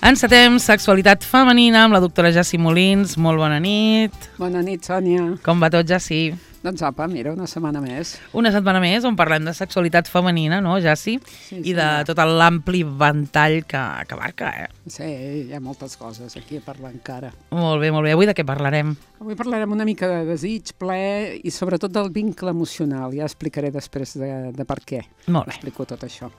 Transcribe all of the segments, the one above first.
Encetem Sexualitat Femenina amb la doctora Jassi Molins. Molt bona nit. Bona nit, Sònia. Com va tot, Jassi? Doncs apa, mira, una setmana més. Una setmana més on parlem de sexualitat femenina, no, Jassi? Sí, I de tot l'ampli ventall que abarca, Sí, hi ha moltes coses aquí a parlar encara. Molt bé, molt bé. Avui de què parlarem? Avui parlarem una mica de desig, plaer i sobretot del vincle emocional. Ja explicaré després de per què. Molt bé. Explico tot això.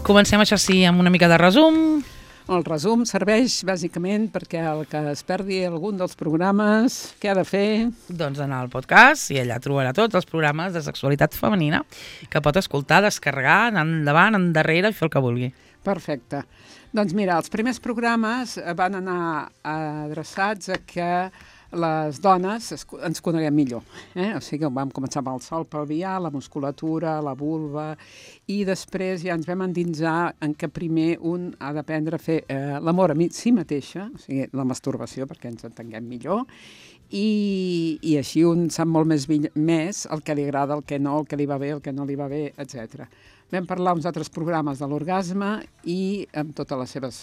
Comencem, això sí, amb una mica de resum. El resum serveix bàsicament perquè el que es perdi algun dels programes, què ha de fer? Doncs anar al podcast i allà trobarà tots els programes de sexualitat femenina que pot escoltar, descarregar, anar endavant, endarrere i fer el que vulgui. Perfecte. Doncs mira, els primers programes van anar adreçats a que les dones ens coneguem millor. O sigui, vam començar amb el sòl pelvià, la musculatura, la vulva, i després ja ens vam endinsar en que primer un ha d'aprendre a fer l'amor a si mateixa, o sigui, la masturbació, perquè ens entenguem millor, i així un sap molt més el que li agrada, el que no, el que li va bé, el que no li va bé, etc. Vam parlar uns altres programes de l'orgasme i amb totes les seves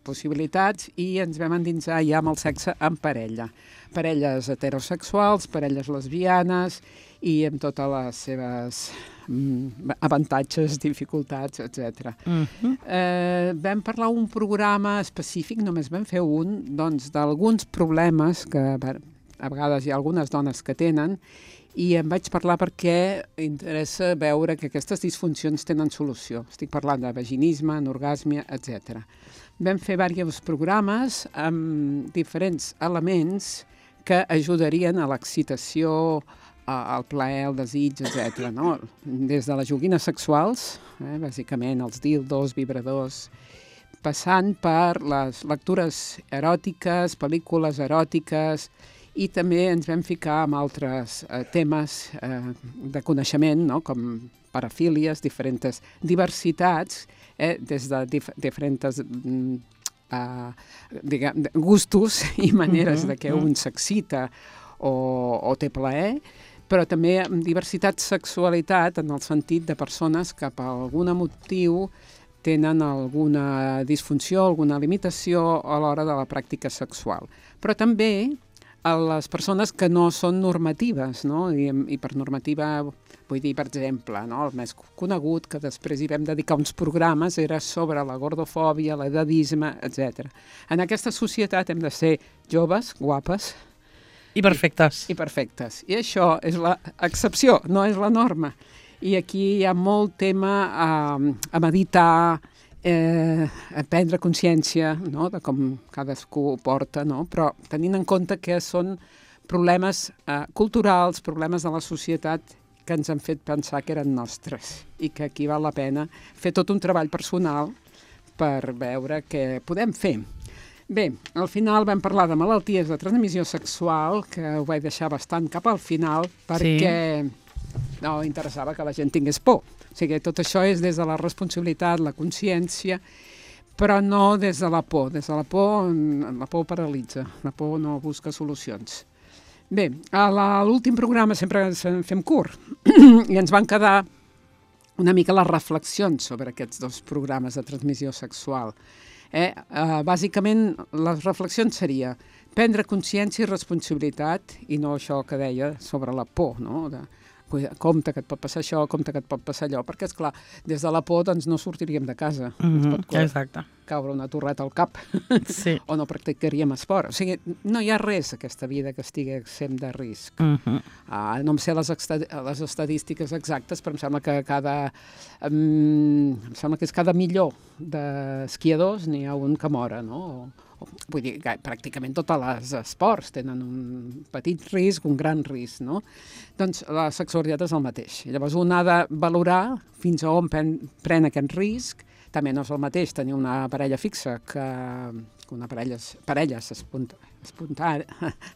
possibilitats i ens vam endinsar ja amb el sexe en parella. Parelles heterosexuals, parelles lesbianes i amb totes les seves avantatges, dificultats, etc. Vam parlar un programa específic, només vam fer un, doncs, d'alguns problemes que a vegades hi ha algunes dones que tenen i em vaig parlar perquè interessa veure que aquestes disfuncions tenen solució. Estic parlant de vaginisme, anorgàsmia, etc. Vam fer diversos programes amb diferents elements que ajudarien a l'excitació, al plaer, al desig, etc. No? Des de les joguines sexuals, bàsicament els dildos, vibradors, passant per les lectures eròtiques, pel·lícules eròtiques, i també ens vam ficar amb altres temes de coneixement, no? Com parafílies, diferents diversitats, des de diferents gustos i maneres de que un s'excita o té plaer, però també amb diversitat sexualitat en el sentit de persones que per algun motiu tenen alguna disfunció, alguna limitació a l'hora de la pràctica sexual. Però també a les persones que no són normatives, no? I per normativa vull dir, per exemple, no? El més conegut, que després hi vam dedicar uns programes, era sobre la gordofòbia, l'edadisme, etc. En aquesta societat hem de ser joves, guapes, I perfectes. I perfectes. I això és l'excepció, no és la norma. I aquí hi ha molt tema a meditar, a prendre consciència, no? De com cadascú ho porta, no? Però tenint en compte que són problemes culturals, problemes de la societat que ens han fet pensar que eren nostres i que aquí val la pena fer tot un treball personal per veure què podem fer. Bé, al final vam parlar de malalties de transmissió sexual, que ho vaig deixar bastant cap al final, perquè no interessava que la gent tingués por. O sigui, tot això és des de la responsabilitat, la consciència, però no des de la por. Des de la por paralitza, la por no busca solucions. Bé, a l'últim programa sempre ens fem curt i ens van quedar una mica les reflexions sobre aquests dos programes de transmissió sexual. Bàsicament, les reflexions seria prendre consciència i responsabilitat i no això que deia sobre la por, no? Compte que et pot passar això, compte que et pot passar allò, perquè, esclar, des de la por doncs, no sortiríem de casa. Ens pot caure una torreta al cap o no practicaríem esport. O sigui, no hi ha res aquesta vida que estigui exempt de risc. No em sé les estadístiques exactes, però em sembla que cada milió d'esquiadors n'hi ha un que mora, no? Vull dir, pràcticament tots els esports tenen un petit risc, un gran risc, no? Doncs la sexualitat és el mateix. Llavors un ha de valorar fins a on pren aquest risc. També no és el mateix tenir una parella fixa que una parelles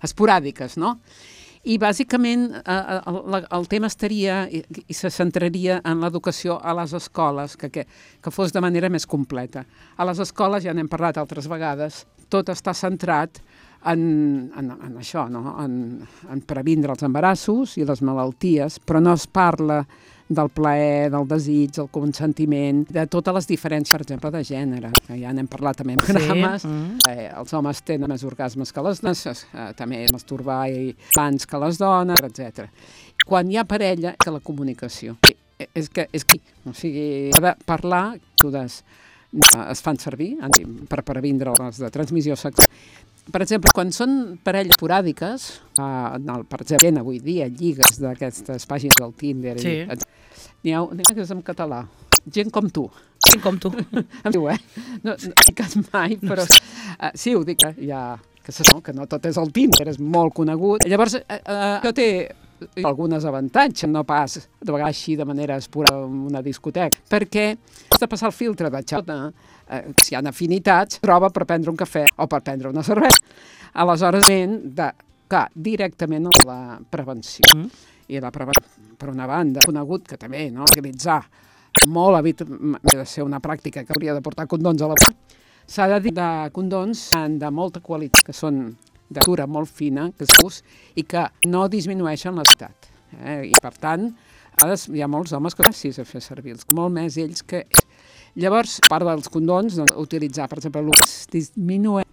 esporàdiques, no? I bàsicament el tema estaria i se centraria en l'educació a les escoles, que fos de manera més completa. A les escoles, ja n'hem parlat altres vegades, tot està centrat en això, no? En previndre els embarassos i les malalties, però no es parla del plaer, del desig, del consentiment, de totes les diferències, per exemple, de gènere, que ja n'hem parlat també en programes. Els homes tenen més orgasmes que les dones, també masturbar abans que les dones, etc. Quan hi ha parella, que la comunicació. És que, o sigui, ha de parlar, es fan servir per previndre les de transmissió sexual. Per exemple, quan són parelles esporàdiques, per exemple, avui dia, lligues d'aquestes pàgines del Tinder, n'hi ha que és en català, gent com tu. Gent com tu. Em diu, no dic mai, però sí, ho dic, que no tot és el Tinder, és molt conegut. Llavors, això té algunes avantatges, no pas de vegades així de manera esporàdica en una discoteca, perquè has de passar el filtre de xota, si hi ha afinitats, troba per prendre un cafè o per prendre una cervesa. Aleshores, directament a la prevenció. I la prevenció, per una banda, conegut que també, no, utilitzar molt ha de ser una pràctica que hauria de portar condons a la boca. S'ha de dir de condons de molta qualitat, que són de textura molt fina, i que no disminueixen l'estat. I, per tant, hi ha molts homes que gràcies a fer servir-los, molt més ells que ells. Llavors, a part dels condons, utilitzar, per exemple, disminuir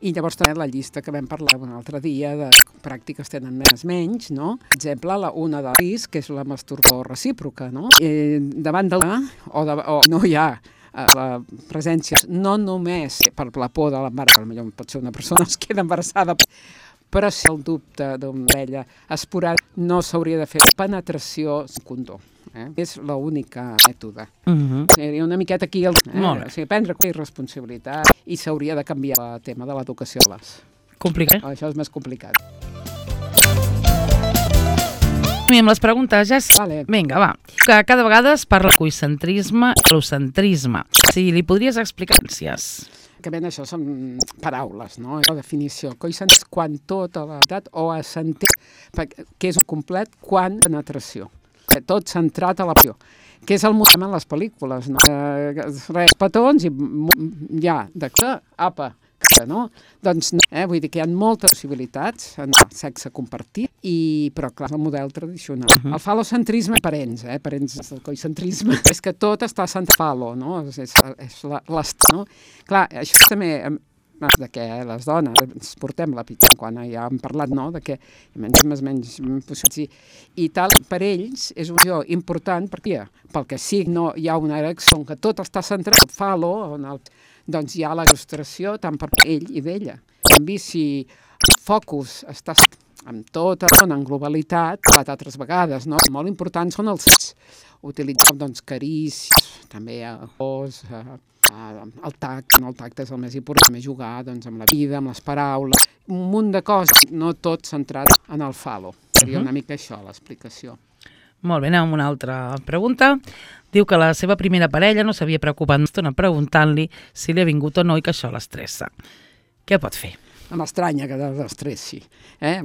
i llavors també la llista que vam parlar un altre dia de pràctiques tenen menys, no? Per exemple, una de risc, que és la masturbació recíproca, no? Davant de o no hi ha la presència, no només per la por de l'embaràs, potser pot ser una persona que es queda embarassada, però si el dubte d'una parella esporàdica no s'hauria de fer penetració condó. És l'única mètode. Seria una miqueta aquí prendre responsabilitat i s'hauria de canviar el tema de l'educació. Complicat. Això és més complicat. I amb les preguntes ja sí. Vale. Vinga, va. Que cada vegada es parla de coicentrisme i falocentrisme. Si li podries explicar que ben això són paraules, no? La definició. Coicentrisme és quan tota la veritat o assentir, que és un complet quan penetració. Tot centrat a la passió, que és el moment en les pel·lícules, no? Res, petons i ja, apa, no? Doncs, vull dir que hi ha moltes possibilitats en el sexe compartit, però clar, és el model tradicional. El falocentrisme, parents del coicentrisme, és que tot està centrat falo, no? És l'estat, no? Clar, això també de que les dones ens portem la pitjor, quan ja hem parlat, no?, de que menys possibilitats i tal, per ells és una cosa important perquè pel que sí no hi ha una erecció que tot està centrat al falo, doncs hi ha la frustració tant per ell i d'ella. En canvi, si el focus està amb tota la dona en globalitat, altres vegades, no? Molt importants són els sexs. Utilitzar, doncs, carícies, també cos, el tacte és el més important, també jugar amb la vida, amb les paraules, un munt de coses, no tot centrat en el falo. Seria una mica això, l'explicació. Molt bé, anem amb una altra pregunta. Diu que la seva primera parella no s'havia preocupat una estona preguntant-li si li ha vingut o no i que això l'estressa. Què pot fer? No m'estranya que l'estressi.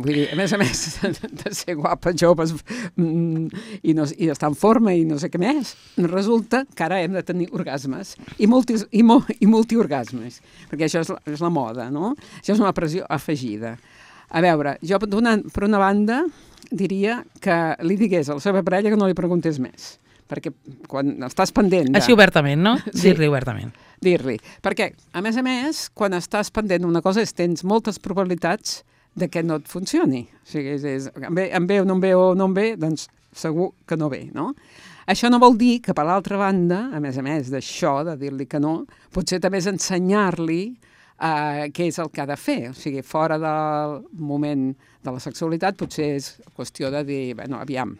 Vull dir, a més, de ser guapa, joves i estar en forma i no sé què més, resulta que ara hem de tenir orgasmes i multiorgasmes, perquè això és la moda, no? Això és una pressió afegida. A veure, jo per una banda diria que li digués a la seva parella que no li preguntés més, perquè quan estàs pendent Així obertament, no? Sí. Dir-li obertament. Dir-li. Perquè, a més, quan estàs pendent una cosa tens moltes probabilitats de que no et funcioni. O sigui, em ve o no em ve, doncs segur que no ve, no? Això no vol dir que, per l'altra banda, a més d'això, de dir-li que no, potser també és ensenyar-li què és el que ha de fer. O sigui, fora del moment de la sexualitat, potser és qüestió de dir, aviam,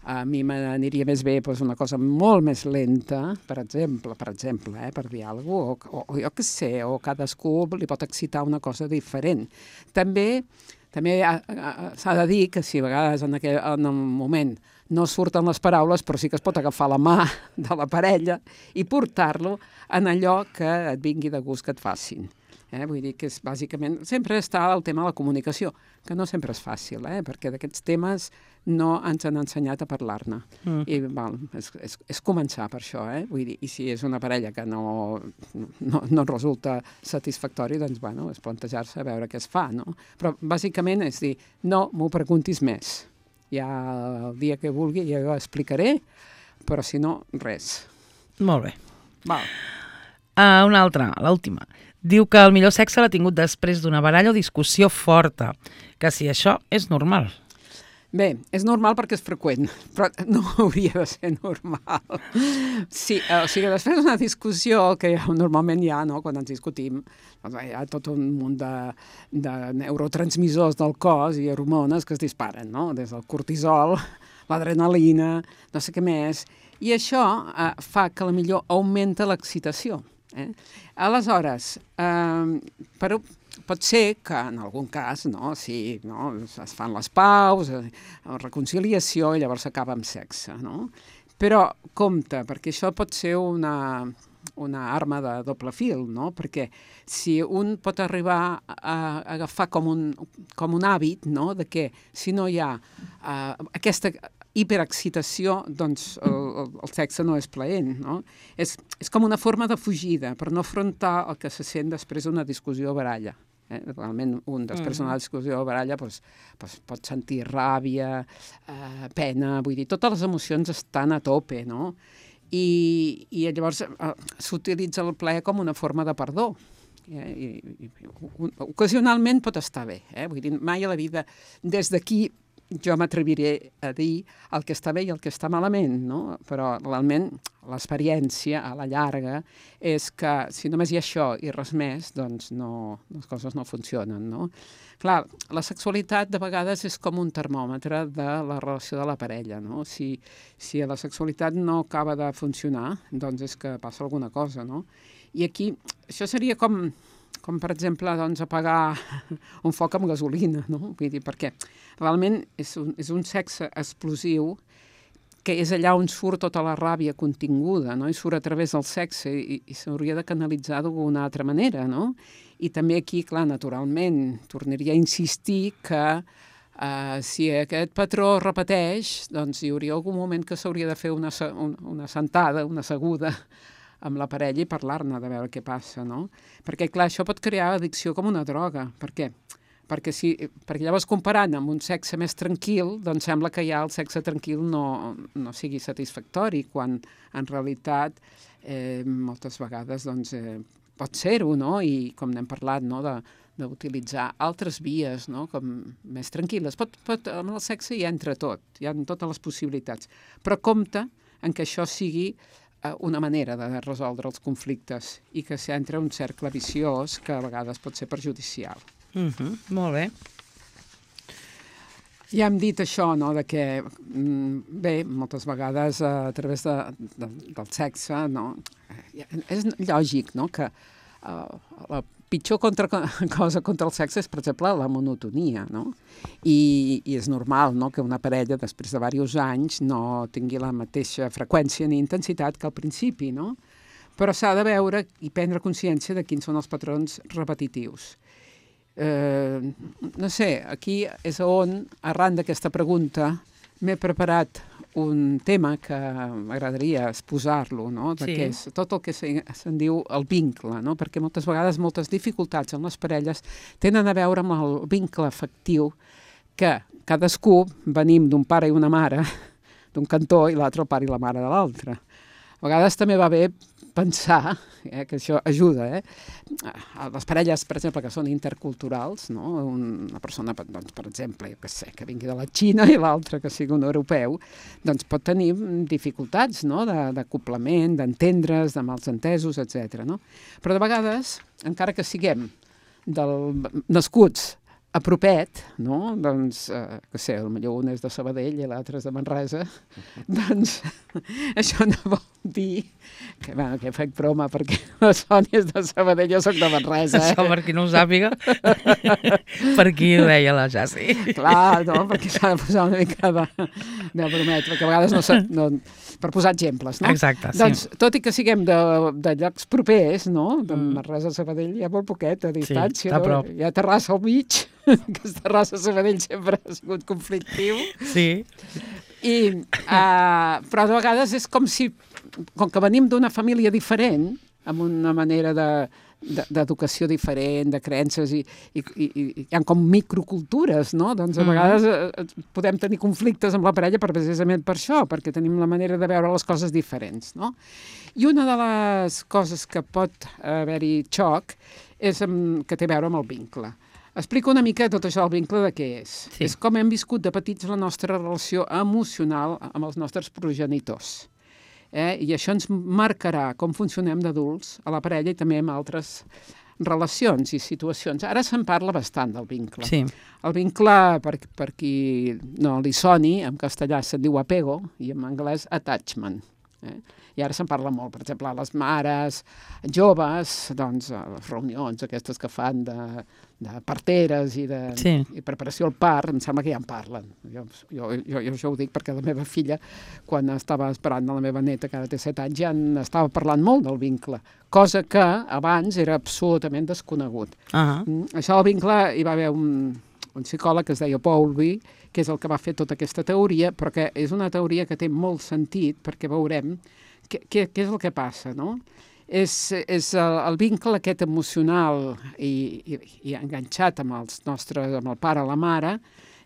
a mi m'aniria més bé una cosa molt més lenta, per exemple, per dir alguna cosa, o jo què sé, o cadascú li pot excitar una cosa diferent. També s'ha de dir que si a vegades en un moment no surten les paraules, però sí que es pot agafar la mà de la parella i portar-lo en allò que et vingui de gust que et facin. Vull dir que és bàsicament... Sempre està el tema de la comunicació, que no sempre és fàcil, perquè d'aquests temes no ens han ensenyat a parlar-ne. I és començar per això, vull dir, i si és una parella que no resulta satisfactori, doncs, bueno, és plantejar-se a veure què es fa, no? Però bàsicament és dir, no m'ho preguntis més. Ja el dia que vulgui ja ho explicaré, però si no, res. Molt bé. Val. Una altra, l'última. Diu que el millor sexe l'ha tingut després d'una baralla o discussió forta, que si això és normal. Bé, és normal perquè és freqüent, però no hauria de ser normal. Sí, o sigui, després d'una discussió, que normalment hi ha, no?, quan ens discutim, doncs hi ha tot un munt de neurotransmissors del cos i hormones que es disparen, no?, des del cortisol, l'adrenalina, no sé què més, i això fa que potser augmenta l'excitació. Aleshores, pot ser que en algun cas, si es fan les paus, reconciliació, i llavors s'acaba amb sexe, no? Però compte, perquè això pot ser una arma de doble fil, no? Perquè si un pot arribar a agafar com un hàbit, no?, de que si no hi ha aquesta hiperexcitació, doncs el sexe no és plaent, no? És com una forma de fugida, per no afrontar el que se sent després d'una discussió o baralla. Realment, després d'una discussió o baralla pot sentir ràbia, pena, vull dir, totes les emocions estan a tope, no? I llavors s'utilitza el plaer com una forma de perdó. Ocasionalment pot estar bé, vull dir, mai a la vida, des d'aquí jo m'atreviré a dir el que està bé i el que està malament, no? Però realment l'experiència a la llarga és que si només hi ha això i res més, doncs les coses no funcionen, no? Clar, la sexualitat de vegades és com un termòmetre de la relació de la parella, no? Si la sexualitat no acaba de funcionar, doncs és que passa alguna cosa, no? I aquí, això seria com per exemple, doncs, apagar un foc amb gasolina, no? Vull dir, perquè realment és un sexe explosiu que és allà on surt tota la ràbia continguda, no? I surt a través del sexe i s'hauria de canalitzar d'alguna altra manera, no? I també aquí, clar, naturalment, tornaria a insistir que si aquest patró es repeteix, doncs hi hauria algun moment que s'hauria de fer una sentada, una asseguda, amb la parella i parlar-ne, de veure què passa, no? Perquè, clar, això pot crear addicció com una droga. Per què? Perquè llavors comparant amb un sexe més tranquil, doncs sembla que ja el sexe tranquil no sigui satisfactori, quan en realitat moltes vegades doncs, pot ser-ho, no? I com n'hem parlat, no?, d'utilitzar altres vies, no?, com més tranquil·les. Amb el sexe hi entra tot, hi ha totes les possibilitats. Però compte en que això sigui una manera de resoldre els conflictes i que s'entra un cercle viciós que a vegades pot ser perjudicial. Molt bé. Ja hem dit això, no?, de que, bé, moltes vegades a través del sexe, no?, és lògic, no?, que la pitjor cosa contra el sexe és, per exemple, la monotonia, no? I és normal, no?, que una parella, després de diversos anys, no tingui la mateixa freqüència ni intensitat que al principi, no? Però s'ha de veure i prendre consciència de quins són els patrons repetitius. No sé, aquí és on, arran d'aquesta pregunta, m'he preparat un tema que m'agradaria exposar-lo, no?, que és tot el que se'n diu el vincle, no?, perquè moltes vegades moltes dificultats en les parelles tenen a veure amb el vincle afectiu, que cadascú venim d'un pare i una mare, d'un cantó, i l'altre el pare i la mare de l'altre. A vegades també va bé pensar, que això ajuda, les parelles, per exemple, que són interculturals, no?, una persona, doncs, per exemple, que vingui de la Xina i l'altra que sigui un europeu, doncs pot tenir dificultats, no?, d'acoplament, d'entendre's, de malsentesos, etc. No? Però de vegades, encara que siguem nascuts apropet, no? Doncs, que sé, potser un és de Sabadell i l'altre és de Manresa, doncs això no vol dir que, bueno, que faig broma perquè la Sònia és de Sabadell, jo soc de Manresa. Això per qui no ho sàpiga, per qui ho deia la Jassi. Clar, no, perquè s'ha de posar una mica de bromet, perquè a vegades no per posar exemples, no? Exacte, sí. Doncs, tot i que siguem de llocs propers, no? De Manresa a Sabadell hi ha molt poquet de distància. Sí, a prop. Hi ha Terrassa al mig, que Terrassa a Sabadell sempre ha sigut conflictiu. Sí. Però de vegades és com que venim d'una família diferent, amb una manera d'educació diferent, de creences, i hi ha com microcultures, no? Doncs a vegades podem tenir conflictes amb la parella precisament per això, perquè tenim la manera de veure les coses diferents, no? I una de les coses que pot haver-hi xoc és que té a veure amb el vincle. Explico una mica tot això del vincle de què és. Sí. És com hem viscut de petits la nostra relació emocional amb els nostres progenitors. I això ens marcarà com funcionem d'adults a la parella i també amb altres relacions i situacions. Ara se'n parla bastant del vincle. Sí. El vincle, per qui no li soni, en castellà se'n diu apego i en anglès attachment. I ara se'n parla molt, per exemple, a les mares joves, doncs, a les reunions aquestes que fan de parteres i i preparació al part, em sembla que ja en parlen. Jo això ho dic perquè la meva filla, quan estava esperant la meva neta, que ara té 7 anys, ja estava parlant molt del vincle, cosa que abans era absolutament desconegut. Això del vincle hi va haver un psicòleg que es deia Bowlby, que és el que va fer tota aquesta teoria, però que és una teoria que té molt sentit, perquè veurem què és el que passa, no? És el vincle aquest emocional i enganxat amb amb el pare o la mare,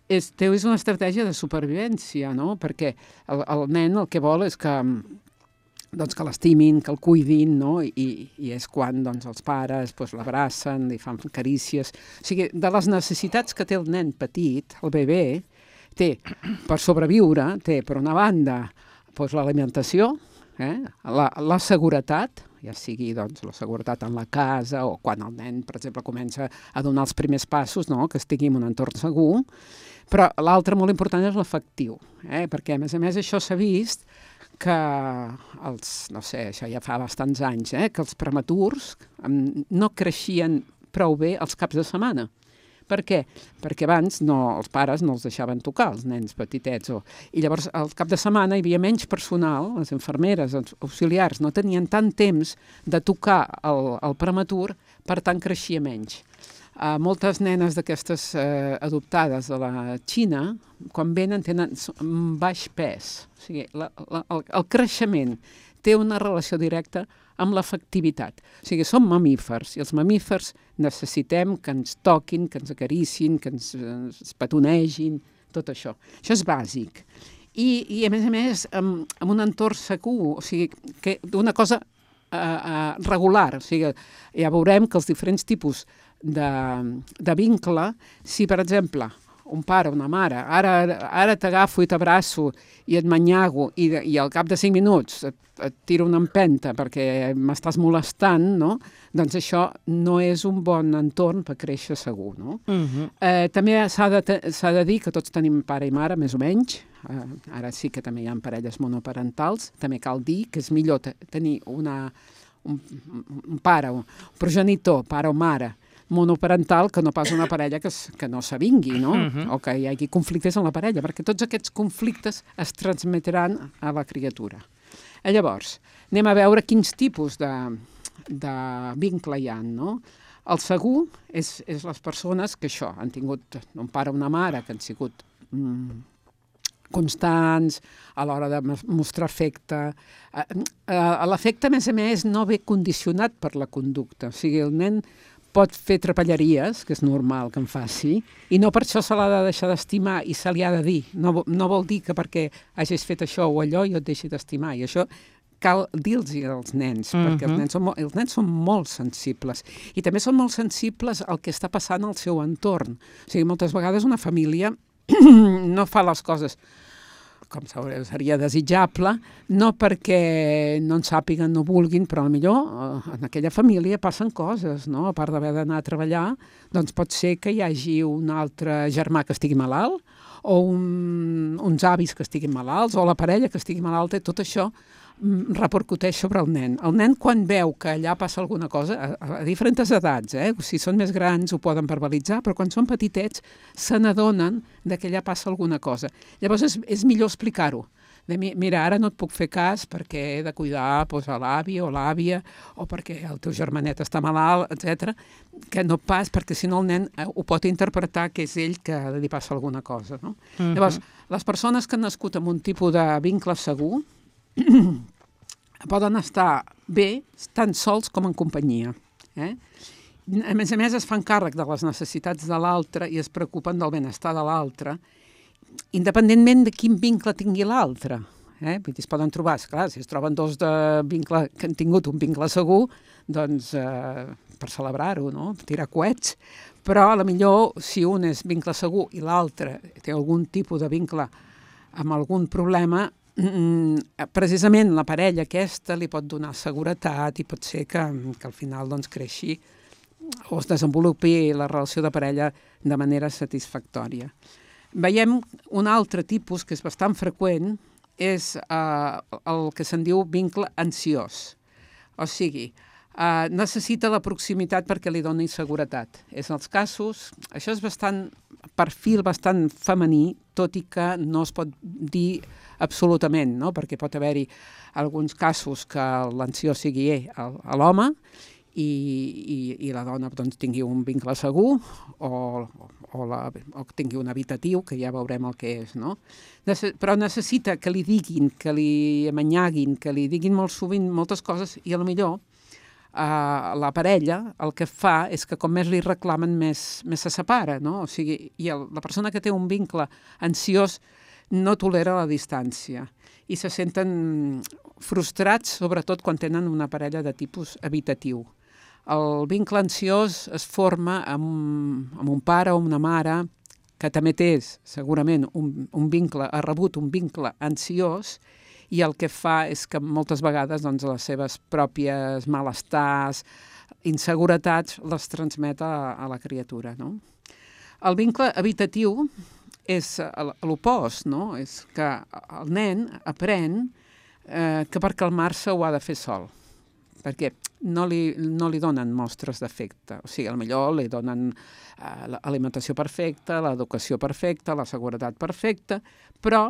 és una estratègia de supervivència, no? Perquè el nen el que vol és que l'estimin, que el cuidin, no? I és quan els pares l'abracen, li fan carícies. O sigui, de les necessitats que té el nen petit, el bebè, té per sobreviure, té per una banda l'alimentació, la seguretat, ja sigui la seguretat en la casa o quan el nen, per exemple, comença a donar els primers passos, no? Que estigui en un entorn segur, però l'altre molt important és l'afectiu, perquè a més això s'ha vist que això ja fa bastants anys, que els prematurs no creixien prou bé els caps de setmana. Per què? Perquè abans els pares no els deixaven tocar, els nens petitets. I llavors, al cap de setmana, hi havia menys personal, les infermeres, els auxiliars, no tenien tant temps de tocar el prematur, per tant, creixia menys. Moltes nenes d'aquestes adoptades de la Xina, quan venen, tenen un baix pes. O sigui, el creixement té una relació directa amb l'afectivitat. O sigui, som mamífers, i els mamífers necessitem que ens toquin, que ens acaricin, que ens petonegin, tot això. Això és bàsic. I a més, amb un entorn segur, o sigui, una cosa regular. O sigui, ja veurem que els diferents tipus de vincle, si, per exemple, un pare, una mare, ara t'agafo i t'abraço i et manyago i al cap de 5 minuts et tiro una empenta perquè m'estàs molestant, no? Doncs això no és un bon entorn per créixer segur, no? També s'ha de dir que tots tenim pare i mare, més o menys. Ara sí que també hi ha parelles monoparentals. També cal dir que és millor tenir un pare, un progenitor, pare o mare, monoparental, que no pas una parella que no s'avingui, no? O que hi hagi conflictes en la parella, perquè tots aquests conflictes es transmetran a la criatura. Llavors, anem a veure quins tipus de vincle hi ha, no? El segur és les persones que han tingut un pare o una mare que han sigut constants a l'hora de mostrar afecte. L'afecte, a més, no ve condicionat per la conducta. O sigui, el nen pot fer trapelleries, que és normal que en faci, i no per això se l'ha de deixar d'estimar i se li ha de dir. No vol dir que perquè hagis fet això o allò jo et deixi d'estimar. I això cal dir-los als nens, perquè els nens són molt sensibles. I també són molt sensibles al que està passant al seu entorn. O sigui, moltes vegades una família no fa les coses com seria desitjable, no perquè no en sàpiguen, no vulguin, però millor en aquella família passen coses, no? A part d'haver d'anar a treballar, doncs pot ser que hi hagi un altre germà que estigui malalt, o uns avis que estiguin malalts, o la parella que estigui malalta, i tot això repercuteix sobre el nen. El nen, quan veu que allà passa alguna cosa, a diferents edats, si són més grans ho poden verbalitzar, però quan són petitets se n'adonen que allà passa alguna cosa. Llavors és millor explicar-ho. Mira, ara no et puc fer cas perquè he de cuidar a l'avi o l'àvia, o perquè el teu germanet està malalt, etc. Que no pas, perquè si no el nen ho pot interpretar que és ell que li passa alguna cosa. No? Llavors, les persones que han nascut amb un tipus de vincle segur poden estar bé tant sols com en companyia. A més, es fan càrrec de les necessitats de l'altre i es preocupen del benestar de l'altre, independentment de quin vincle tingui l'altre. Vull dir, es poden trobar, esclar, si es troben dos de vincle que han tingut un vincle segur, doncs per celebrar-ho, no? Tirar coets, però a la millor si un és vincle segur i l'altre té algun tipus de vincle amb algun problema, precisament la parella aquesta li pot donar seguretat i pot ser que al final doncs, creixi o es desenvolupi la relació de parella de manera satisfactòria. Veiem un altre tipus que és bastant freqüent, és el que se'n diu vincle ansiós. O sigui, necessita la proximitat perquè li doni seguretat. És els casos, això és perfil bastant femení, tot i que no es pot dir absolutament, no? Perquè pot haver-hi alguns casos que l'ansiós sigui l'home i la dona doncs, tingui un vincle segur o tingui un habitatiu, que ja veurem el que és, no? Però necessita que li diguin, que li amanyaguin, que li diguin molt sovint moltes coses i potser la parella el que fa és que com més li reclamen més se separa, no? O sigui, i la persona que té un vincle ansiós no tolera la distància i se senten frustrats, sobretot quan tenen una parella de tipus habitatiu. El vincle ansiós es forma amb un pare o una mare que també té segurament un vincle, ha rebut un vincle ansiós i el que fa és que moltes vegades doncs, les seves pròpies malestars, inseguretats, les transmet a la criatura. No? El vincle habitatiu és l'opost, no? És que el nen aprèn que per calmar-se ho ha de fer sol, perquè no li donen mostres d'afecte. O sigui, potser li donen l'alimentació perfecta, l'educació perfecta, la seguretat perfecta, però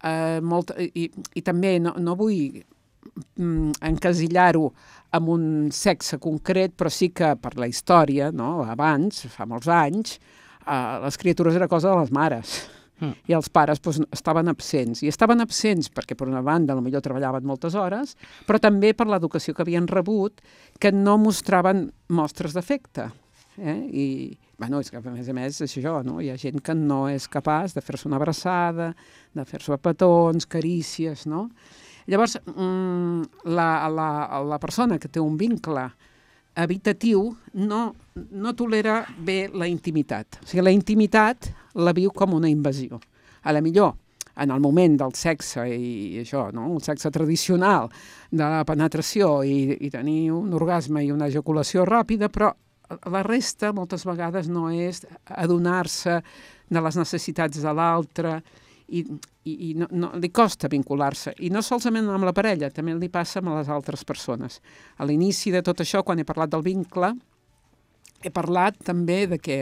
i també no vull encasillar-ho amb un sexe concret, però sí que per la història, no? Abans, fa molts anys, les criatures era cosa de les mares i els pares estaven absents. I estaven absents perquè, per una banda, potser treballaven moltes hores, però també per l'educació que havien rebut, que no mostraven mostres d'afecte. I, és que, a més, és això, no? Hi ha gent que no és capaç de fer-se una abraçada, de fer-se petons, carícies, no? Llavors, la persona que té un vincle habitatiu no tolera bé la intimitat. O sigui, la intimitat la viu com una invasió. A la millor, en el moment del sexe i això, no? El sexe tradicional de la penetració i tenir un orgasme i una ejaculació ràpida, però la resta moltes vegades no és adonar-se de les necessitats de l'altre i no, li costa vincular-se. I no solament amb la parella, també li passa amb les altres persones. A l'inici de tot això, quan he parlat del vincle, he parlat també de que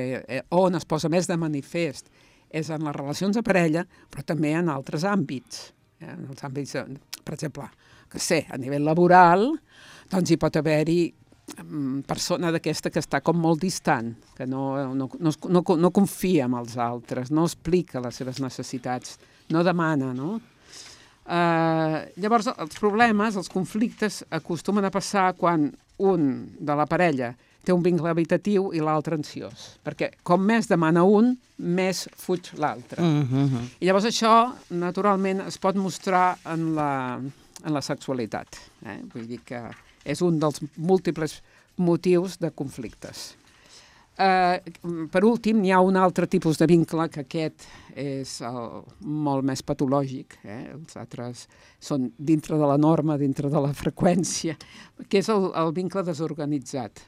on es posa més de manifest és en les relacions de parella, però també en altres àmbits. En els àmbits, per exemple, a nivell laboral, doncs hi pot haver-hi persona d'aquesta que està com molt distant, que no confia en els altres, no explica les seves necessitats, no demana, no? Llavors, els problemes, els conflictes, acostumen a passar quan un de la parella té un vincle habitatiu i l'altre ansiós, perquè com més demana un, més fuig l'altre. I llavors això, naturalment, es pot mostrar en la sexualitat. Vull dir que és un dels múltiples motius de conflictes. Per últim, hi ha un altre tipus de vincle, que aquest és molt més patològic. Els altres són dintre de la norma, dintre de la freqüència, que és el vincle desorganitzat.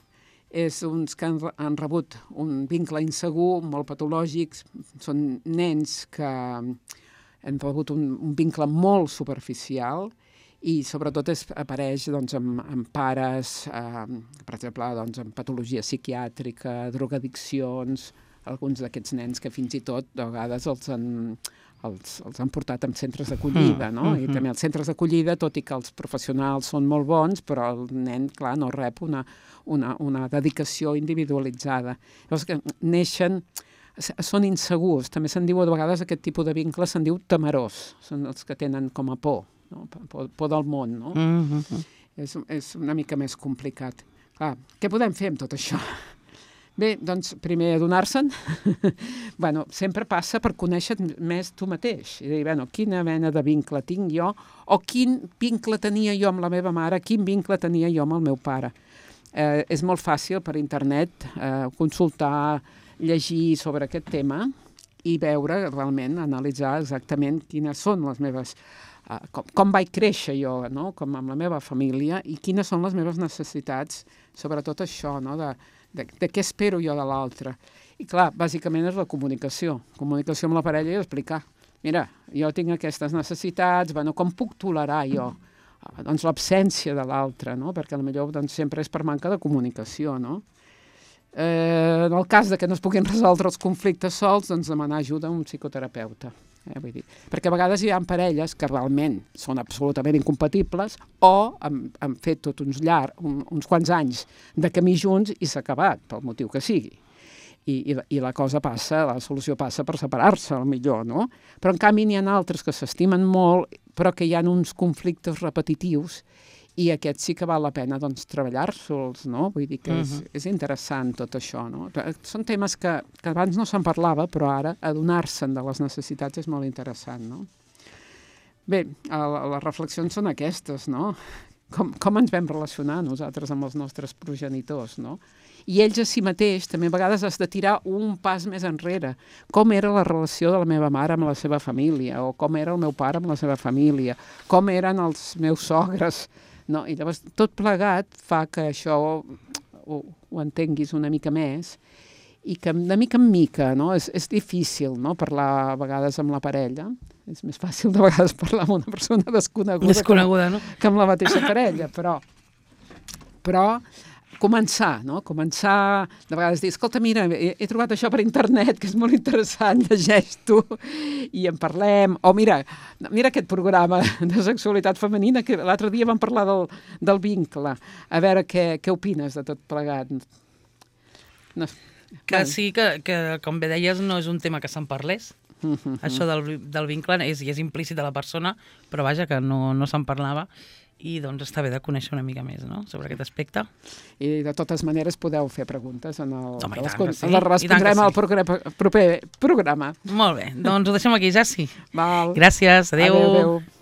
És uns que han rebut un vincle insegur, molt patològics, són nens que han rebut un vincle molt superficial i sobretot apareix doncs, amb pares, per exemple, doncs, amb patologia psiquiàtrica, drogadiccions, alguns d'aquests nens que fins i tot de vegades els han portat en centres d'acollida, no? I també els centres d'acollida, tot i que els professionals són molt bons, però el nen, clar, no rep una dedicació individualitzada. Llavors que neixen, són insegurs, també se'n diu a vegades aquest tipus de vincle, se'n diu temerós, són els que tenen com a por. No? Por del món, no? És una mica més complicat. Clar, què podem fer amb tot això? Bé, doncs, primer adonar-se'n. Bueno, sempre passa per conèixer més tu mateix. I dir, bueno, quina mena de vincle tinc jo, o quin vincle tenia jo amb la meva mare, quin vincle tenia jo amb el meu pare. És molt fàcil per internet consultar, llegir sobre aquest tema i veure, realment, analitzar exactament quines són les meves... com vaig créixer jo, no? Com amb la meva família, i quines són les meves necessitats, sobretot això, no? de què espero jo de l'altre. I clar, bàsicament és la comunicació amb la parella i explicar, mira, jo tinc aquestes necessitats, bueno, com puc tolerar jo doncs, l'absència de l'altre, no? Perquè potser doncs, sempre és per manca de comunicació, no? En el cas de que no es puguin resoldre els conflictes sols, doncs demanar ajuda a un psicoterapeuta. Vull dir, perquè a vegades hi ha parelles que realment són absolutament incompatibles o han fet tot uns quants anys de camí junts i s'ha acabat, pel motiu que sigui. I la cosa passa, la solució passa per separar-se, millor, no? Però en canvi n'hi ha altres que s'estimen molt, però que hi ha uns conflictes repetitius i aquests sí que val la pena doncs, treballar-se'ls, no? Vull dir que és interessant tot això, no? Són temes que abans no se'n parlava, però ara adonar-se'n de les necessitats és molt interessant, no? Bé, les reflexions són aquestes, no? Com ens vam relacionar nosaltres amb els nostres progenitors, no? I ells a si mateix també a vegades has de tirar un pas més enrere. Com era la relació de la meva mare amb la seva família, o com era el meu pare amb la seva família, com eren els meus sogres, no? I llavors tot plegat fa que això ho entenguis una mica més i que de mica en mica, no? És difícil, no? Parlar a vegades amb la parella. És més fàcil de vegades parlar amb una persona desconeguda no? Que amb la mateixa parella, però començar, no? Començar, de vegades dir, escolta, mira, he trobat això per internet, que és molt interessant, llegeix-t'ho i en parlem. O mira aquest programa de sexualitat femenina, que l'altre dia vam parlar del vincle. A veure què opines de tot plegat. No. Que sí, que com bé deies, no és un tema que se'n parlés. Això del vincle és implícit a la persona, però vaja, que no se'n parlava. I doncs està bé de conèixer una mica més, no?, sobre aquest aspecte. I de totes maneres podeu fer preguntes les respondrem al proper programa. Molt bé, doncs ho deixem aquí, Jassi. Val. Gràcies, adéu. Adéu.